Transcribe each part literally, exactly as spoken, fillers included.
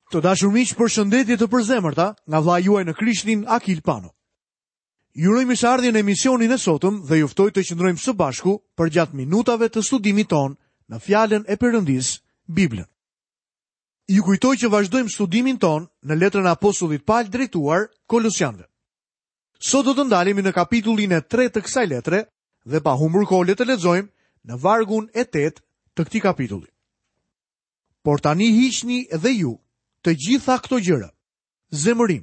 Të dashur miq, përshëndetje të përzemërta nga vëllai juaj në Krishtin Akil Pano. Ju uroj mirëseardhjen në emisionin e sotëm dhe ju ftoj të qëndrojmë së bashku përgjatë minutave të studimit tonë në fjalën e Perëndisë, Biblën. Ju kujtoj që vazhdojmë studimin tonë në letrën e apostullit Pal drejtuar Kolosianëve. Sot do të ndalemi në kapitullin e tretë të kësaj letre dhe pa humbur kohë le të lexojmë në vargun e tetë të këtij kapitulli. Por tani hiqni edhe ju të gjitha këto gjëra: zemërim,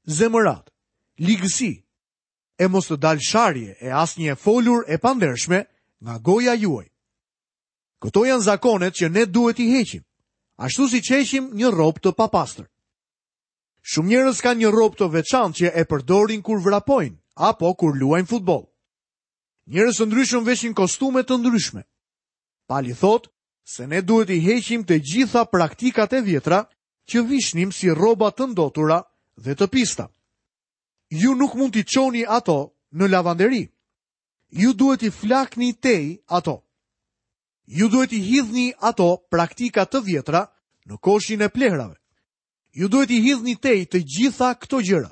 zemërat, ligësi, e mos të dalë sharje e asnjë e folur e pandershme nga goja juaj. Këto janë zakonet që ne duhet t'i heqim, ashtu siç heqim një rrobë të papastër. Shumë njerëz kanë një rrobë të veçantë që e përdorin kur vrapojnë apo kur luajnë futboll. Njerëz të ndryshëm veshin kostume të ndryshme. Pali thotë se ne duhet t'i heqim të gjitha praktikat e vjetra që vishnim si rroba të ndotura dhe të pista. Ju nuk mund t'i çoni ato në lavanderi. Ju duhet t'i flakni tej ato. Ju duhet t'i hidhni ato praktika të vjetra në koshin e plehrave. Ju duhet t'i hidhni tej të gjitha këto gjëra.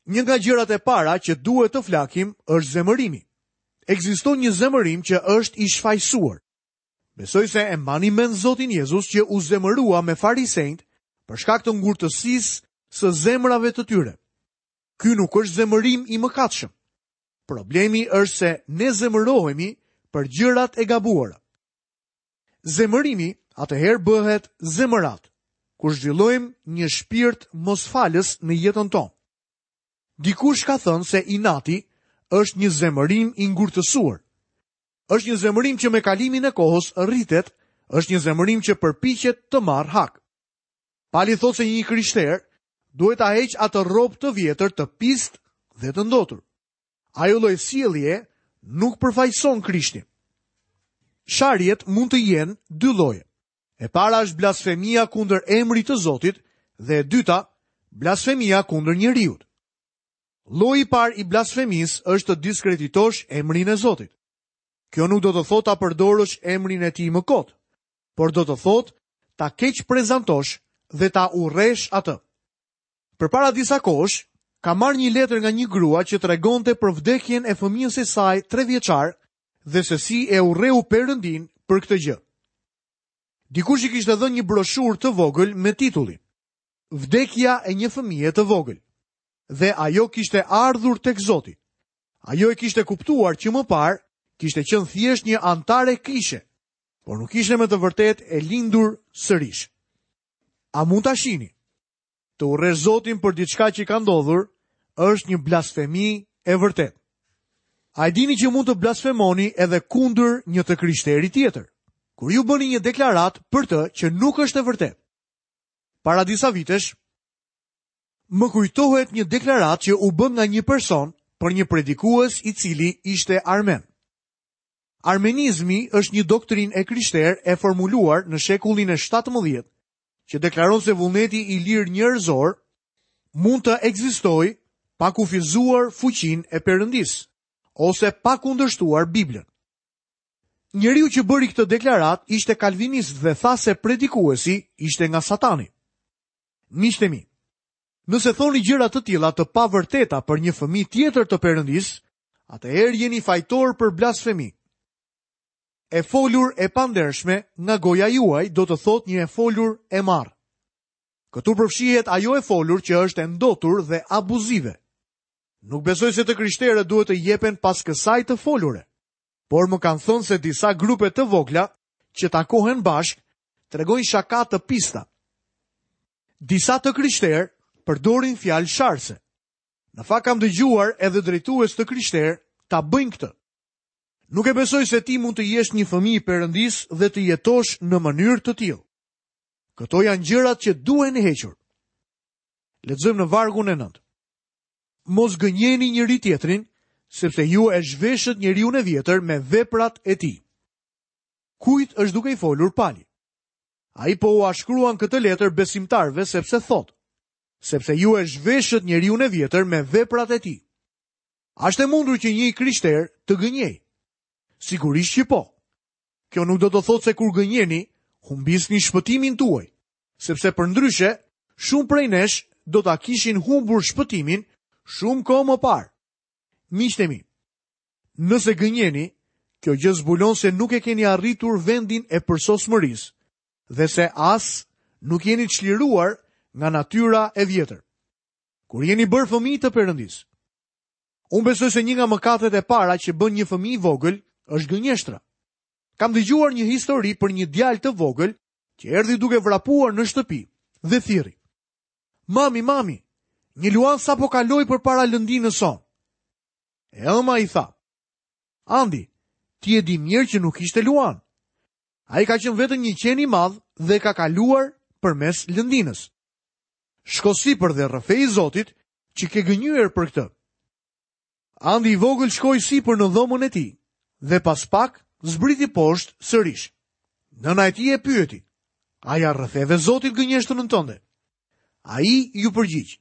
Një nga gjërat e para që duhet të flakim është zemërimi. Ekziston një zemërim që është i shfajësuar. Besoj se e mbani mend Zotin Jezus që u zemërua me farisejt për shkak të ngurtësisë së zemrave të tyre. Ky nuk është zemërim i mëkatshëm. Problemi është se ne zemërohemi për gjërat e gabuara. Zemërimi atëherë bëhet zemërat, kur zhvillojmë një shpirt mosfalës në jetën tonë. Dikush ka thënë se inati është një zemërim i ngurtësuar. Është një zemërim që me kalimin e kohës rritet, është një zemërim që përpiqet të marrë hak. Pali thotë se një krishter duhet ta heq atë rrobë të vjetër të pist dhe të ndotur. Ajo lloj sjellje nuk përfaqëson Krishtin. Sharjet mund të jenë dy lloje. E para është blasfemia kundër emrit të Zotit dhe e dyta, blasfemia kundër njeriut. Lloji i parë i blasfemisë është të diskreditosh emrin e Zotit. Kjo nuk do të thotë ta përdorësh emrin e tij më kot, por do të thotë ta keq prezantosh dhe ta urresh atë. Përpara disa kohësh, ka marrë një letër nga një grua që tregonte për vdekjen e fëmijës së saj tre vjeçar dhe se si e urreu Perëndin për këtë gjë. Dikush i kishte dhënë një broshurë të vogël me titullin Vdekja e një fëmije të vogël. Dhe ajo kishte ardhur tek Zoti. Ajo e kishte kuptuar që më parë kishte qenë thjesht një antare kishe, por nuk ishte me të vërtetë e lindur sërish. A mund ta shihni? Të urresh Zotin për diçka që ka ndodhur është një blasfemi e vërtetë. A e dini që mund të blasfemoni edhe kundër një të krishteri tjetër, kur ju bëni një deklaratë për të që nuk është e vërtetë? Para disa vitesh, më kujtohet një deklaratë që u bë nga një person për një predikues i cili ishte armen. Armenizmi është një doktrinë e krishterë e formuluar në shekullin e shtatëmbëdhjetë, që deklaron se vullneti i lirë njerëzor mund të ekzistojë pa kufizuar fuqinë e Perëndisë ose pa kundërshtuar Biblën. Njeriu që bëri këtë deklaratë ishte kalvinist dhe tha se predikuesi ishte nga Satani. Miqtë e mi, nëse thoni gjëra të tilla të pavërteta për një fëmijë tjetër të Perëndisë, atëherë jeni fajtor për blasfemi. E folur e pandershme nga goja juaj do të thotë një e folur e marrë. Këtu përfshihet ajo e folur që është e ndotur dhe abuzive. Nuk besoj se të krishterët duhet të jepen pas kësaj të folure, por më kanë thënë se disa grupe të vogla që takohen bashkë tregojnë shaka të pista. Disa të krishterë përdorin fjalë sharse. Në fakt kam dëgjuar edhe drejtues të krishterë ta bëjnë këtë. Nuk e besoj se ti mund të jesh një fëmijë i Perëndisë dhe të jetosh në mënyrë të tillë. Këto janë gjërat që duhen hequr. Lexojmë në vargun e nëntë. Mos gënjeni njëri tjetrin, sepse ju e zhveshët njeriun e vjetër me veprat e tij. Kujt është duke i folur Pali? Ai po ua shkruan këtë letër besimtarëve sepse thotë, sepse ju e zhveshët njeriun e vjetër me veprat e tij. A është e mundur që një i krishter të gënjej? Sigurisht që po. Kjo nuk do të thotë se kur gënjeni, humbisni shpëtimin tuaj. sepse përndryshe, shumë prej nesh do ta kishin humbur shpëtimin shumë kohë më parë. Miqtë e mi, nëse gënjeni, kjo gjë zbulon se nuk e keni arritur vendin e përsosmërisë dhe se as nuk jeni çliruar nga natyra e vjetër. Kur jeni bërë fëmijë të Perëndisë. Unë besoj se një nga mëkatet e para që bën një fëmijë i vogël është gënjeshtra. Kam dëgjuar një histori për një djalë të vogël që erdhi duke vrapuar në shtëpi dhe thirri: "Mami, mami, një luan sapo kaloi përpara lëndinës sonë." E ëma i tha: "Andi, ti e di mirë që nuk ishte luan. Ai ka qenë vetëm një qen i madh dhe ka kaluar përmes lëndinës. Shko sipër dhe rrëfej Zotit që ke gënjyer për këtë." Andi i vogël shkoi sipër në dhomën e tij dhe pas pak zbriti poshtë sërish. Nëna e tij e pyeti: "A ja rrëfeve Zotit gënjeshtrën tënde?" Ai ju përgjigj: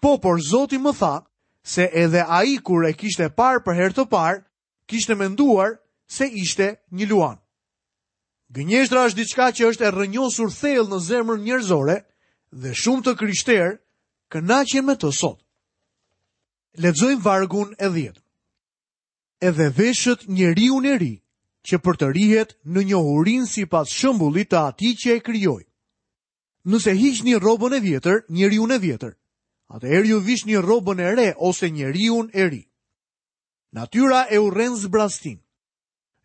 "Po, por Zoti më tha se edhe ai kur e kishte parë për herë të parë, kishte menduar se ishte një luan." Gënjeshtra është diçka që është e rrënjosur thellë në zemrën njerëzore dhe shumë të krishterë kënaqen me të sot. Lexojmë vargun e dhjetë. Edhe veshët njeriun e ri, që përtërihet në njohurinë sipas shembullit të atij që e krijoi. Nëse hiqni rrobën e vjetër, njeriun e vjetër, atëherë ju vishni rrobën e re ose njeriun e ri. Natyra e urren zbrastin.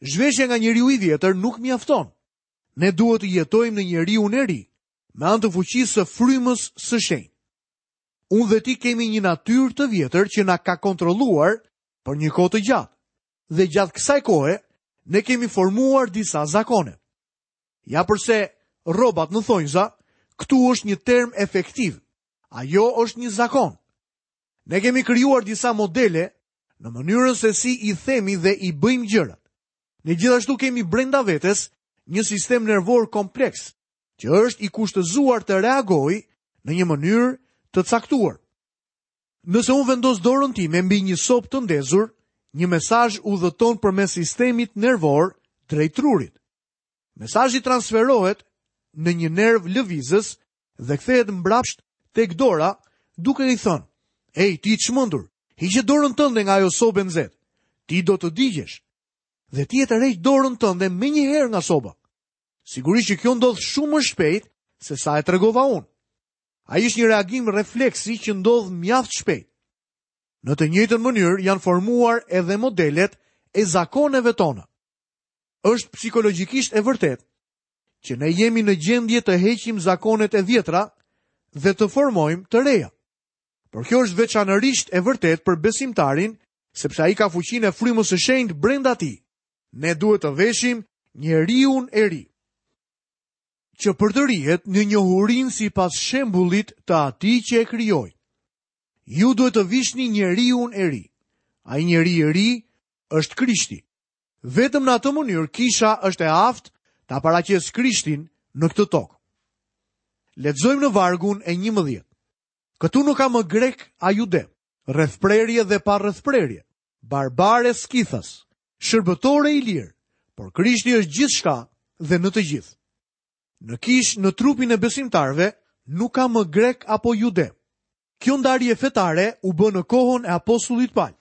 Zhveshja nga njeriu i vjetër nuk mjafton. Ne duhet të jetojmë në njeriun e ri, me anë të fuqisë së frymës së shenjtë. Unë dhe ti kemi një natyrë të vjetër që na ka kontrolluar për një kohë të gjatë. Dhe gjatë kësaj kohe, ne kemi formuar disa zakone. Ja përse rrobat në thonjza, këtu është një term efektiv. Ajo është një zakon. Ne kemi krijuar disa modele në mënyrën se si i themi dhe i bëjmë gjërat. Ne gjithashtu kemi brenda vetes një sistem nervor kompleks, që është i kushtëzuar të reagojë në një mënyrë të caktuar. Nëse unë vendos dorën time mbi një sopë të ndezur, një mesazh udhëton përmes sistemit nervor drejt trurit. Mesazhi transferohet në një nerv lëvizës dhe kthehet mbrapsht tek dora, duke i thënë: "Ej, ti i çmendur, hiqe dorën tënde nga ajo sobë e nxehtë. Ti do të digjesh." Dhe ti e tërheq dorën tënde menjëherë nga soba. Sigurisht që kjo ndodh shumë më shpejt se sa e tregova unë. Ai është një reagim refleksi që ndodh mjaft shpejt. Në të njëjtën mënyrë janë formuar edhe modelet e zakoneve tona. Është psikologjikisht e vërtetë që ne jemi në gjendje të heqim zakonet e vjetra dhe të formojmë të reja. Por kjo është veçanërisht e vërtetë për besimtarin, sepse ai ka fuqinë e frymës së shenjtë brenda tij. Ne duhet të veshim njeriun e ri, që përtërihet në njohurinë sipas shembullit të atij që e krijoi. Ju duhet të vishni njeriun e ri. Ai njeri i ri është Krishti. Vetëm në atë mënyrë kisha është e aftë ta paraqesë Krishtin në këtë tokë. Lexojmë në vargun e njëmbëdhjetë. Këtu nuk ka më grek a jude, rrethprerje dhe pa rrethprerje, barbar e skithas, shërbëtore i lirë, por Krishti është gjithçka dhe në të gjithë. Në kish, në trupin e besimtarëve, nuk ka më grek apo jude. Kjo ndarje fetare u bë në kohën e apostullit Paul.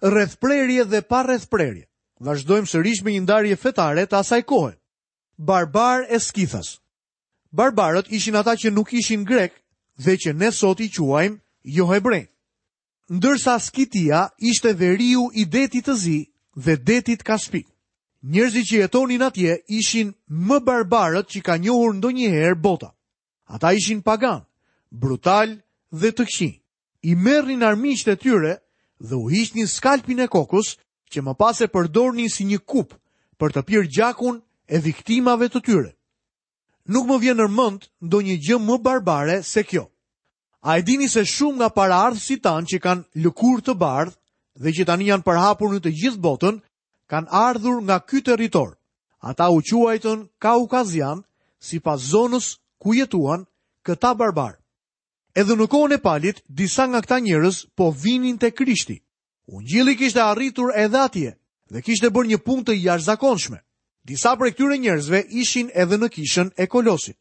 Rrethprerje dhe pa rrethprerje. Vazhdojmë sërish me një ndarje fetare të asaj kohe. Barbar e skithas. Barbarët ishin ata që nuk ishin grek dhe që ne sot i quajmë jo hebrej. Ndërsa Skitia ishte veriu i detit të zi dhe detit Kaspik. Njerëzit që jetonin atje ishin më barbarët që ka njohur ndonjëherë bota. Ata ishin pagan, brutal dhe të këqij. I merrnin armiqtë e tyre dhe u hiqnin skalpin e kokës, që më pas e përdornin si një kupë për të pirë gjakun e viktimave të tyre. Nuk më vjen në mend ndonjë gjë më barbare se kjo. A e dini se shumë nga paraardhësit tanë që kanë lëkurë të bardhë dhe që tani janë përhapur në të gjithë botën, kanë ardhur nga ky territor. Ata u quajtën Kaukazian, sipas zonës ku jetuan këta barbar. Edhe në kohën e Palit, disa nga këta njerëz po vinin te Krishti. Ungjilli kishte arritur edhe atje dhe kishte bërë një punë të jashtëzakonshme. Disa prej këtyre njerëzve ishin edhe në kishën e Kolosit.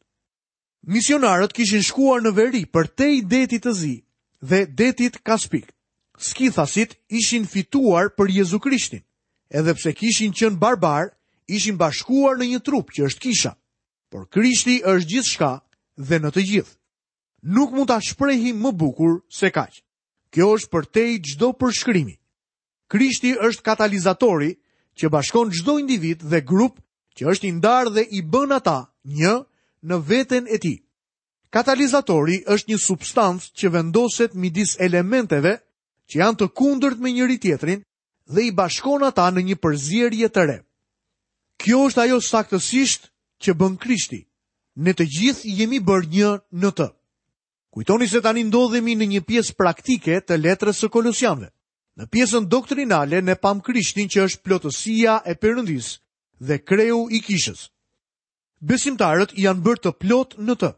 Misionarët kishin shkuar në veri përtej detit të Zi dhe detit Kaspik. Skithasit ishin fituar për Jezu Krishtin, edhe pse kishin qenë barbar, ishin bashkuar në një trup që është kisha. Por Krishti është gjithçka dhe në të gjithë. Nuk mund ta shprehim më bukur se kaq. Kjo është përtej çdo përshkrimi. Krishti është katalizatori që bashkon çdo individ dhe grup që është i ndarë dhe i bën ata një në veten e tij. Katalizatori është një substancë që vendoset midis elementeve që janë të kundërt me njëri tjetrin dhe i bashkon ata në një përzierje të re. Kjo është ajo saktësisht që bën Krishti. Ne të gjithë jemi bërë një në të. Kujtoni se tani ndodhemi në një pjesë praktike të letrës së Kolosianëve. Në pjesën doktrinale ne pam Krishtin që është plotësia e Perëndisë dhe kreu i kishës. Besimtarët janë bërë të plot në të.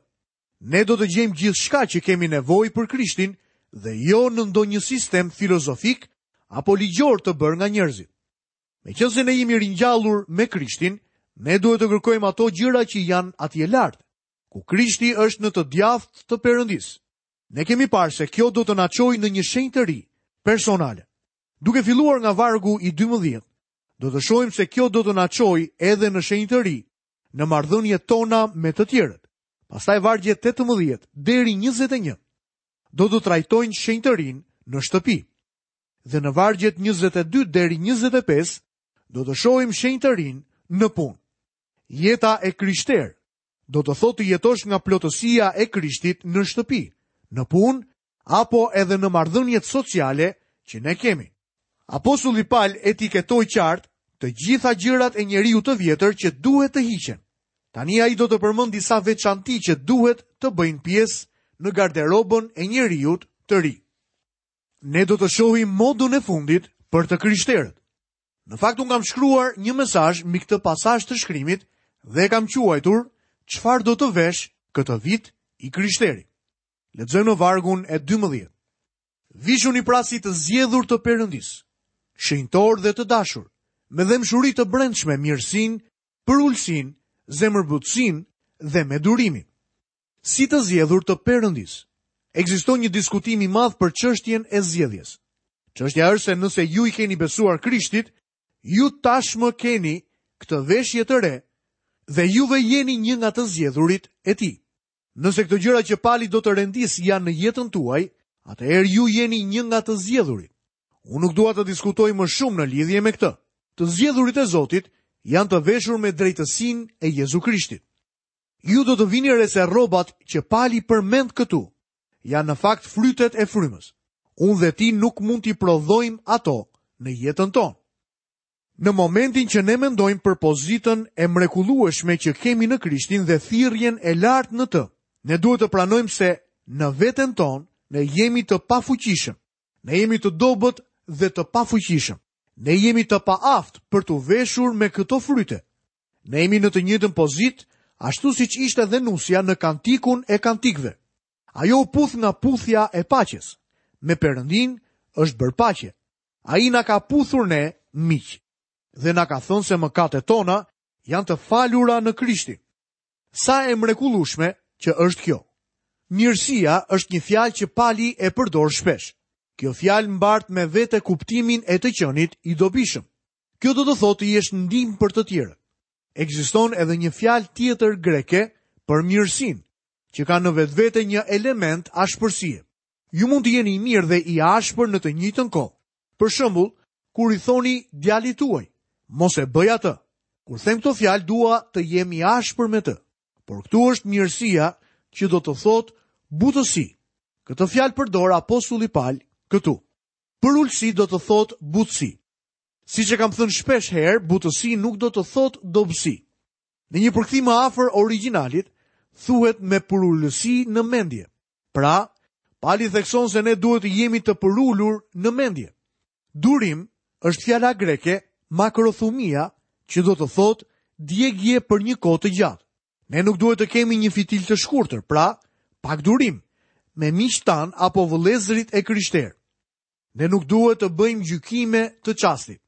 Ne do të gjejmë gjithçka që kemi nevojë për Krishtin dhe jo në ndonjë sistem filozofik apo ligjor të bërë nga njerëzit. Meqenëse ne jemi ringjallur me Krishtin, ne duhet të kërkojmë ato gjëra që janë atje lart, ku Krishti është në të djathtë të Perëndisë. Ne kemi parë se kjo do të na çojë në një shenjtëri personale. Duke filluar nga vargu i dymbëdhjetë, do të shohim se kjo do të na çojë edhe në shenjtëri, në marrëdhëniet tona me të tjerët. Pastaj vargjet tetëmbëdhjetë deri njëzet e një do të trajtojnë shenjtërinë në shtëpi. Dhe në vargjet njëzet e dy deri njëzet e pesë do të shohim shenjtërinë në punë. Jeta e krishterë do të thotë të jetosh nga plotësia e Krishtit në shtëpi, në punë apo edhe në marrëdhëniet sociale që ne kemi. Apostulli Paul etiketoi qartë të gjitha gjërat e njeriu të vjetër që duhet të hiqen. Tani ai do të përmend disa veçanti që duhet të bëjnë pjesë në garderobën e njeriut të ri. Ne do të shohim modën e fundit për të krishterët. Në fakt unë kam shkruar një mesazh mbi këtë pasazh të shkrimit dhe e kam quajtur Çfarë do të vesh këtë vit i krishteri. Lexojmë në vargun e dymbëdhjetë. Vishuni pra si të zgjedhur të Perëndisë, shenjtor dhe të dashur, me dhembshuri të brendshme, mirësinë, përulësinë, zemërbutësinë dhe me durimin. Si të zgjedhur të Perëndisë. Ekziston një diskutim i madh për çështjen e zgjedhjes. Çështja është se nëse ju i keni besuar Krishtit, ju tashmë keni këtë veshje të re dhe juve jeni një nga të zgjedhurit e tij. Nëse këto gjëra që Pali do të rendis janë në jetën tuaj, atëherë ju jeni një nga të zgjedhurit. Unë nuk dua të diskutoj më shumë në lidhje me këtë. Të zgjedhurit e Zotit janë të veshur me drejtësinë e Jezu Krishtit. Ju do të vini re se rrobat që Pali përmend këtu janë në fakt frytet e frymës. Unë dhe ti nuk mund t'i prodhojmë ato në jetën tonë. Në momentin që ne mendojmë për pozitën e mrekullueshme që kemi në Krishtin dhe thirrjen e lartë në të, ne duhet të pranojmë se në veten tonë ne jemi të pafuqishëm. Ne jemi të dobët dhe të pafuqishëm. Ne jemi të paaftë për t'u veshur me këto fryte. Ne jemi në të njëjtën pozitë, ashtu siç ishte dhe nusja në kantikun e kantikëve. Ajo u puth nga puthja e paqes. Me Perëndin është bërë paqe. Ai na ka puthur ne miq dhe na ka thënë se mëkatet tona janë të falura në Krishtin. Sa e mrekullueshme që është kjo. Mirësia është një fjalë që Pali e përdor shpesh. Kjo fjalë mbart me vete kuptimin e të qenit i dobishëm. Kjo do të thotë të jesh ndihmë për të tjerët. Ekziston edhe një fjalë tjetër greke për mirësinë, që ka në vetvete një element ashpërsie. Ju mund të jeni i mirë dhe i ashpër në të njëjtën kohë. Për shembull, kur i thoni djalit tuaj, mos e bëj atë. Kur them këto fjalë, dua të jem i ashpër me të. Por këtu është mirësia që do të thotë butësi. Këtë fjalë përdor apostulli Paul këtu. Përulësi do të thotë butësi. Siç e kam thënë shpesh herë, butësi nuk do të thotë dobësi. Në një përkthim më afër origjinalit, thuhet me përulësi në mendje. Pra, Pali thekson se ne duhet të jemi të përulur në mendje. Durim është fjala greke makrothumia, që do të thotë djegie për një kohë të gjatë. Ne nuk duhet të kemi një fitil të shkurtër, pra pak durim me miqtë tan apo vëllezërit e krishterë. Ne nuk duhet të bëjmë gjykime të çastit.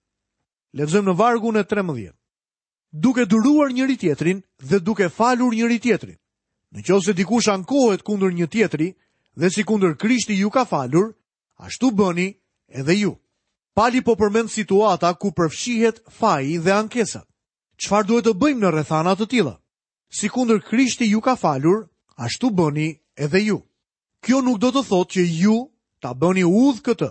Lexojmë në vargun e trembëdhjetë. Duke duruar njëri tjetrin dhe duke falur njëri tjetrin. Në qoftë se dikush ankohet kundër një tjetri dhe si kundër Krishti ju ka falur, ashtu bëni edhe ju. Pali po përmend situata ku përfshihet faji dhe ankesat. Çfarë duhet të bëjmë në rrethana të tilla? Si kundër Krishti ju ka falur, ashtu bëni edhe ju. Kjo nuk do të thotë që ju ta bëni udhë këtë,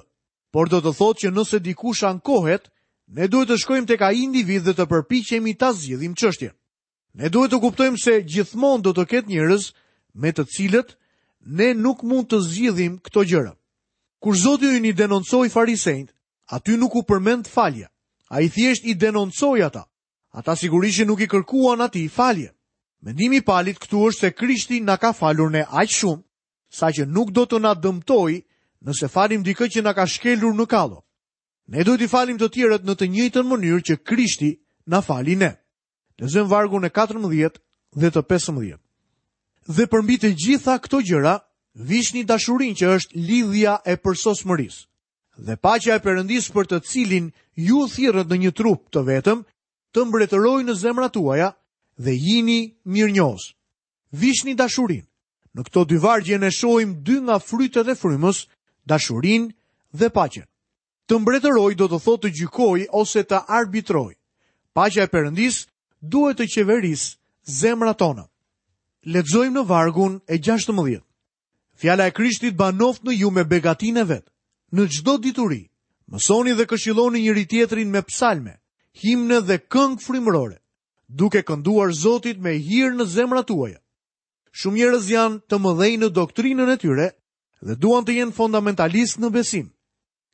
por do të thotë që nëse dikush ankohet, ne duhet të shkojmë tek ai individ dhe të përpiqemi ta zgjidhim çështjen. Ne duhet të kuptojmë se gjithmonë do të ketë njerëz me të cilët ne nuk mund të zgjidhim këto gjëra. Kur Zoti ynë i denoncoi farisejt, aty nuk u përmend falja. Ai thjesht i denoncoi ata. Ata sigurisht nuk i kërkuan atij falje. Mendimi i Palit këtu është se Krishti na ka falur ne aq shumë, saqë nuk do të na dëmtojë nëse falim dikë që na ka shkelur në kallo. Ne duhet i falim të tjerët në të njëjtën mënyrë që Krishti na fali ne. Lexojmë vargun e katërmbëdhjetë dhe të pesëmbëdhjetë. Dhe përmbi të gjitha këto gjëra, vishni dashurinë që është lidhja e përsosmërisë. Dhe paqja e Perëndisë për të cilin ju thirrët në një trup të vetëm, të mbretërojë në zemrat tuaja dhe jini mirënjohës. Vishni dashurinë. Në këto dy vargje ne shohim dy nga frytet e frymës, dashurinë dhe paqen. Të mbretëroj do të thotë të gjykoj ose të arbitroj. Paqja e Perëndisë duhet të qeverisë zemrat tona. Lexojmë në vargun e gjashtëmbëdhjetë. Fjala e Krishtit banoft në ju me begatinë e vet, në çdo dituri. Mësoni dhe këshilloni njëri tjetrin me psalme, himne dhe këngë frymërore, duke kënduar Zotit me hir në zemrat tuaja. Shumë njerëz janë të mëdhenj në doktrinën e tyre dhe duan të jenë fundamentalistë në besim.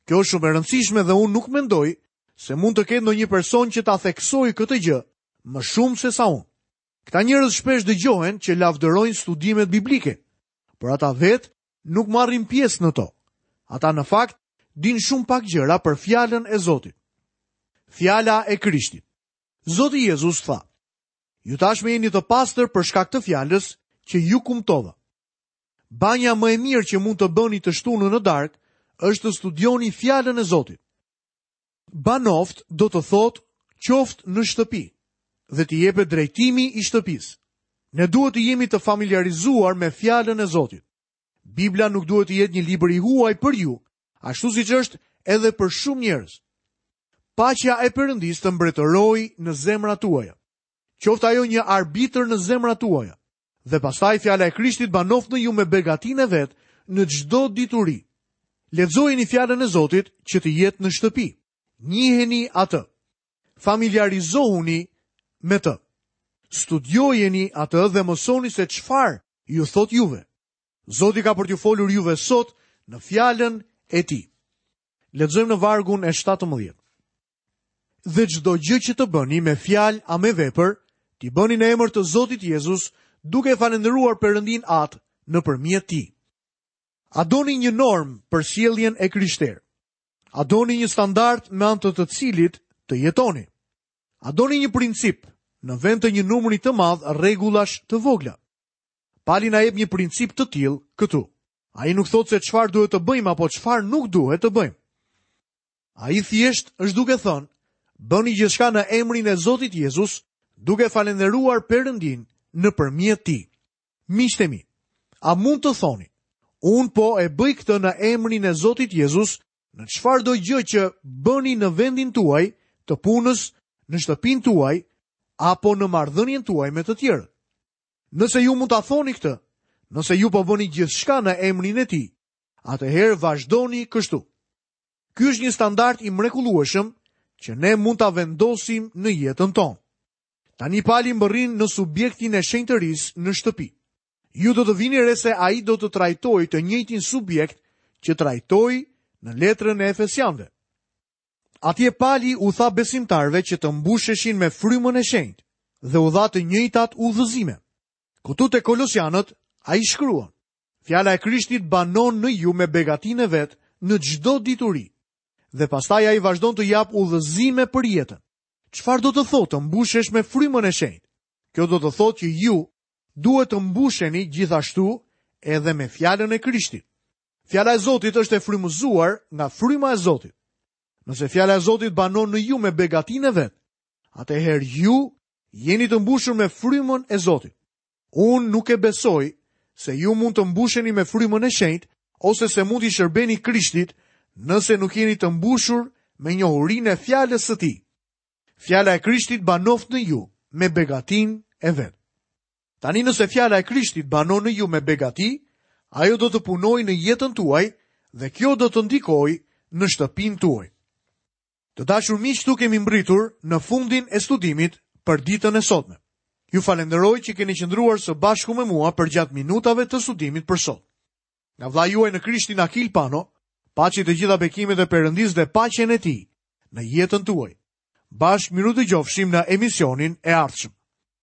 Kjo është shumë e rëndësishme dhe unë nuk mendoj se mund të ketë ndonjë person që ta theksojë këtë gjë më shumë se sa unë. Këta njerëz shpesh dëgjohen që lavdërojnë studimet biblike, por ata vetë nuk marrin pjesë në to. Ata në fakt dinë shumë pak gjëra për fjalën e Zotit. Fjala e Krishtit. Zoti Jezus tha: Ju tashmë jeni të pastër për shkak të fjalës që ju kumtova. Banja më e mirë që mund të bëni të shtunën në darkë është të studioni fjalën e Zotit. Banoft do të thotë qoftë në shtëpi dhe t'i jepet drejtimi i shtëpisë. Ne duhet të jemi të familiarizuar me fjalën e Zotit. Bibla nuk duhet të jetë një libër i huaj për ju, ashtu siç është edhe për shumë njerëz. Paqja e Perëndisë të mbretërojë në zemrat tuaja. Qoftë ajo një arbitër në zemrat tuaja. Dhe pastaj fjala e Krishtit banoft në ju me begatinë e vet në çdo dituri. Lexojeni fjalën e Zotit që të jetë në shtëpi. Njiheni atë. Familiarizohuni me të. Studiojeni atë dhe mësoni se çfarë ju thot juve. Zoti ka për t'ju folur juve sot në fjalën e tij. Lexojmë në vargun e shtatëmbëdhjetë. Dhe çdo gjë që të bëni me fjalë a me vepër, t'i bëni në emër të Zotit Jezus, duke falënderuar Perëndin Atë nëpërmjet tij. A doni një normë për sjelljen e krishterë? A doni një standard me anë të të cilit të jetoni? A doni një princip në vend të një numri të madh rregullash të vogla? Pali na jep një princip të tillë këtu. Ai nuk thotë se çfarë duhet të bëjmë apo çfarë nuk duhet të bëjmë. Ai thjesht është duke thënë, bëni gjithçka në emrin e Zotit Jezus, duke falënderuar Perëndin nëpërmjet tij. Miqtë e mi, a mund të thoni, unë po e bëj këtë në emrin e Zotit Jezus, në çfarëdo gjë që bëni në vendin tuaj, të punës, në shtëpinë tuaj, apo në marrëdhënien tuaj me të tjerët? Nëse ju mund ta thoni këtë, nëse ju po bëni gjithçka në emrin e tij, atëherë vazhdoni kështu. Ky është një standard i mrekullueshëm që ne mund ta vendosim në jetën tonë. Tani Pali mbërrin në subjektin e shenjtërisë në shtëpi. Ju do të vini re se ai do të trajtojë të njëjtin subjekt që trajtoi në letrën e Efesianëve. Atje Pali u tha besimtarëve që të mbusheshin me frymën e shenjtë dhe u dha të njëjtat udhëzime. Këtu te Kolosianët ai shkruan: Fjala e Krishtit banon në ju me begatinë e vet në çdo dituri. Dhe pastaj ai vazhdon të jap udhëzime për jetën. Çfarë do të thotë të mbushesh me frymën e shenjtë? Kjo do të thotë që ju duhet të mbusheni gjithashtu edhe me fjalën e Krishtit. Fjala e Zotit është e frymëzuar nga fryma e Zotit. Nëse fjala e Zotit banon në ju me begatinë e vet, atëherë ju jeni të mbushur me frymën e Zotit. Unë nuk e besoj se ju mund të mbusheni me frymën e shenjtë ose se mund t'i shërbeni Krishtit nëse nuk jeni të mbushur me njohurinë e fjalës së tij. Fjala e Krishtit banoftë në ju me begatinë e vet. Tani nëse fjala e Krishtit banon në ju me begati, ajo do të punojë në jetën tuaj dhe kjo do të ndikojë në shtëpinë tuaj. Të dashur miq, këtu kemi mbërritur në fundin e studimit për ditën e sotme. Ju falenderoj që keni qëndruar së bashku me mua përgjatë minutave të studimit për sot. Nga vëllai juaj në Krishtin Akil Pano, paçi të gjitha bekimet e Perëndisë dhe paqen e tij në jetën tuaj. Bashkë mirudëgjofshim në emisionin e ardhshëm.